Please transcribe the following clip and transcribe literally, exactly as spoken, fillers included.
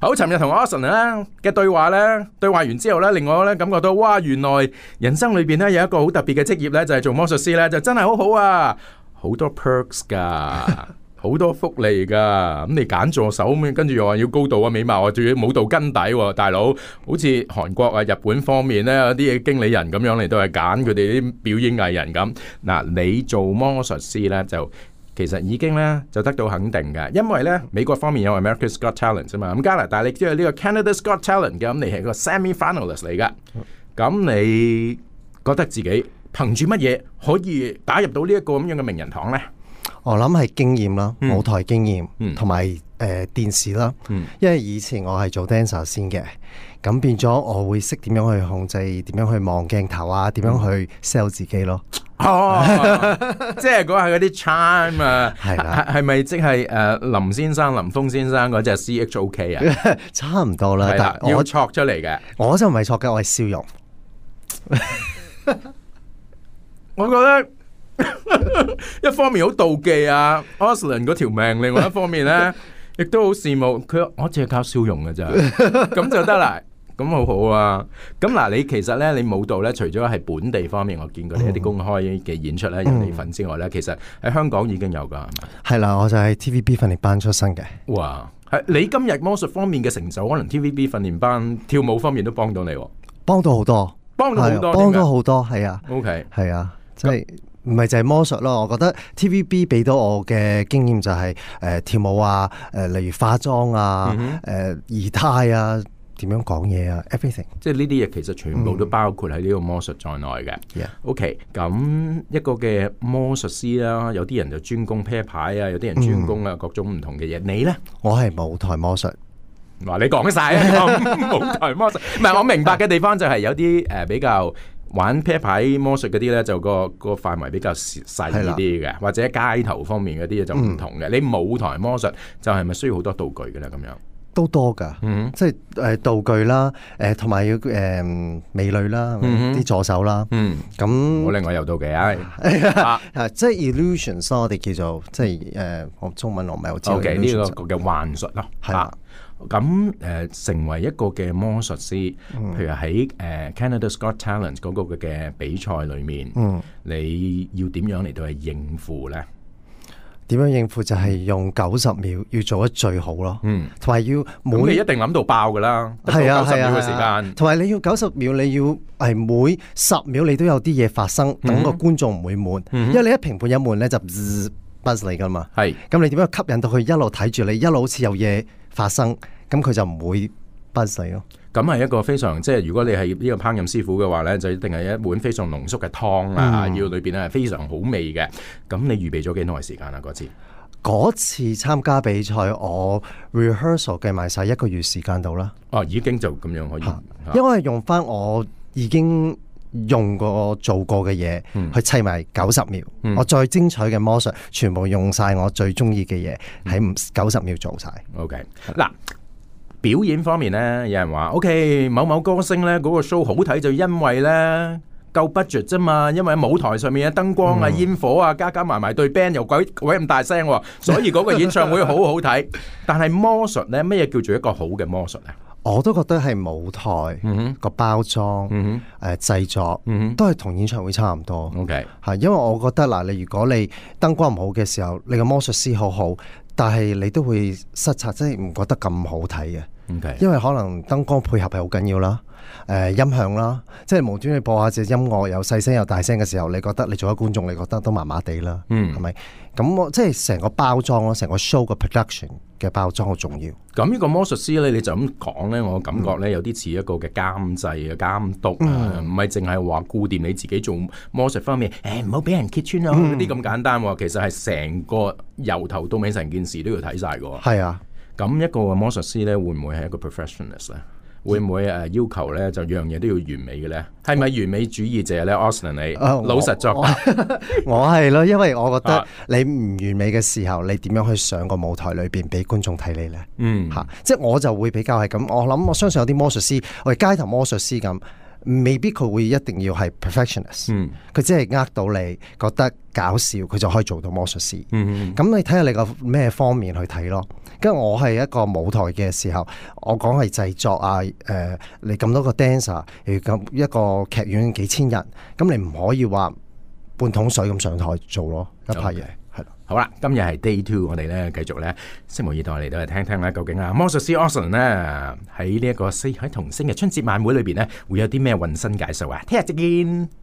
好，尋日同 Austin 咧嘅對話咧，對話完之後咧，令我咧感覺到，哇，原來人生裏邊咧有一個好特別嘅職業咧，就係、是、做魔術師咧，就真係好好啊，好多 perks 噶。好多福利噶，咁你揀助手咁，跟住又話要高度啊、美貌啊，仲要舞蹈根底喎，大佬。好似韓國啊、日本方面咧，有啲經理人咁樣嚟，都係揀佢哋啲表演藝人咁。嗱，你做魔術師咧，就其實已經咧就得到肯定嘅，因為咧美國方面有 America's Got Talent 啊嘛，咁加拿大你知道呢個 Canada's Got Talent 嘅，咁你係個 semi-finalist 嚟噶。咁你覺得自己憑住乜嘢可以打入到呢一個咁樣嘅名人堂咧？我諗係經驗啦，嗯、舞台經驗，同埋誒電視啦。嗯、因為以前我係做 dancer 先嘅，咁變咗我會識點樣去控制，點樣去望鏡頭啊，點樣去 sell 自己咯。哦，即係講下嗰啲 charm 啊，係啦，係咪即係誒林先生、林峰先生嗰隻 C H O K 啊？差唔多啦，但係要戳出嚟嘅，我就唔係戳嘅，我係笑容。我覺得。一方面好妒忌啊 Austin 嗰條命，另外一方面咧，亦都好羨慕佢。我淨係靠笑容嘅咋，咁就得啦，咁好好啊。咁嗱，你其實咧，你舞蹈咧，除咗係本地方面，我見過你一啲公開嘅演出咧，有你份之外咧，其實喺香港已經有噶，係咪？係啦，我就係 T V B 訓練班出身嘅。哇，係你今日魔術方面嘅成就，可能 T V B 訓練班跳舞方面都幫到你，幫到好多，幫到好多，幫到好多，係啊。OK，係啊，即係。唔係就係魔術咯，我覺得 T V B 俾到我嘅經驗就係、是、誒、呃、跳舞啊，誒、呃、例如化妝啊，誒儀態啊，點樣講嘢啊 ，everything， 即係呢啲嘢其實全部都包括喺呢個魔術在內嘅。嗯、OK，咁一個嘅魔術師啦，有啲人就專攻啤牌啊，有啲人專攻啊各種唔同嘅嘢。嗯、你咧？我係舞台魔術。話你講晒啊，舞台魔術。唔係，我明白嘅地方就係有啲誒、呃、比較。玩啤牌魔術嗰啲咧，就個個範圍比較細啲嘅，或者街頭方面嗰啲嘢就唔同嘅。嗯、你舞台魔術就係咪需要好多道具嘅咧？咁樣都多㗎，嗯、即係誒道具啦，誒同埋要誒、呃、美女啦，啲、嗯、助手啦，咁、嗯、我另外有道具啊，啊即係 illusions 咯，我哋叫做即係誒，我、呃、中文我唔係好知道。O.K. 呢個嘅幻術咯，係啦。咁誒、呃、成為一個嘅魔術師，嗯、譬如喺誒、呃、Canada's Got Talent 嗰個嘅比賽裏面，嗯、你要點樣嚟到去應付咧？點樣應付就係用九十秒要做得最好咯，嗯，同埋要每你一定諗到爆噶啦，係啊，九十秒嘅時間，同埋你要九十秒，你要係每十秒你都有啲嘢發生，等個觀眾唔會悶，嗯、因為你一評判一悶咧就 buzz 你噶嘛，係，咁你點樣吸引到佢一路睇住你，一路好似有嘢發生，咁佢就唔會 buzz 你咯。咁係一個非常即係，如果你係呢個烹飪師傅嘅話咧，就一定係一碗非常濃縮嘅湯啊，嗯、要裏邊咧係非常好味嘅。咁你預備咗幾耐時間啊？嗰次嗰次參加比賽，我 rehearsal 計埋晒一個月時間到啦。哦，已經就咁樣可以，因為用翻我已經用過做過嘅嘢、嗯、去砌埋九十秒，嗯、我最精彩嘅魔術全部用晒我最中意嘅嘢喺九十秒做晒。OK， 嗱。表演方面咧，有人話 OK， 某某歌星咧嗰個 show 好睇就因為咧夠 budget 啫嘛，因為喺舞台上面嘅燈光啊、煙火啊，加加埋埋對 band 又鬼鬼咁大聲，所以嗰個演唱會好好睇。但係魔術咧，咩嘢叫做一個好嘅魔術啊？我都覺得係舞台個包裝、誒製作都係同演唱會差唔多。OK， 係因為我覺得嗱，你如果你燈光唔好嘅時候，你個魔術師好好。但係你都會失策，即係唔覺得咁好睇嘅。Okay. 因為可能燈光配合係好緊要啦，誒、呃、音響啦，即係無端端播下隻音樂又細聲又大聲嘅時候，你覺得你做咗觀眾，你覺得都麻麻地啦，係咪、嗯？咁我即係成個包裝咯，成個 show 嘅 production 嘅包裝好重要。咁呢個魔術師咧，你就咁講咧，我感覺咧、嗯、有啲似一個嘅監製嘅監督啊，唔係淨係話顧掂你自己做魔術方面，誒唔好俾人揭穿咯嗰啲咁簡單。其實係成個由頭到尾成件事都要睇晒嘅。係啊，咁一個魔術師咧，會唔會係一個 professional 咧？會唔會誒要求咧就樣嘢都要完美嘅咧？係咪完美主義者咧 Austin 你、呃、老實作答，我係咯，因為我覺得你唔完美嘅時候，你點樣去上個舞台裏邊俾觀眾睇你咧？嗯，嚇、啊，即係我就會比較係咁。我諗我相信有啲魔術師，我哋街頭魔術師咁，未必佢會一定要係 perfectionist，佢、嗯、只係呃到你覺得搞笑，佢就可以做到魔術師。咁、嗯、你睇下你個咩方面去睇咯。跟住我係一個舞台嘅時候，我講係製作啊，誒、呃，你咁多個 dancer，誒咁一個劇院幾千人，咁你唔可以話半桶水咁上台做咯，一派嘢。好啦，今日係 day two， 我哋咧繼續咧，拭目以待嚟到嚟聽聽咧，究竟啊魔術師 Austin 咧喺呢一個四海童星嘅春節晚會裏邊咧，會有啲咩渾身解數啊？聽日再見。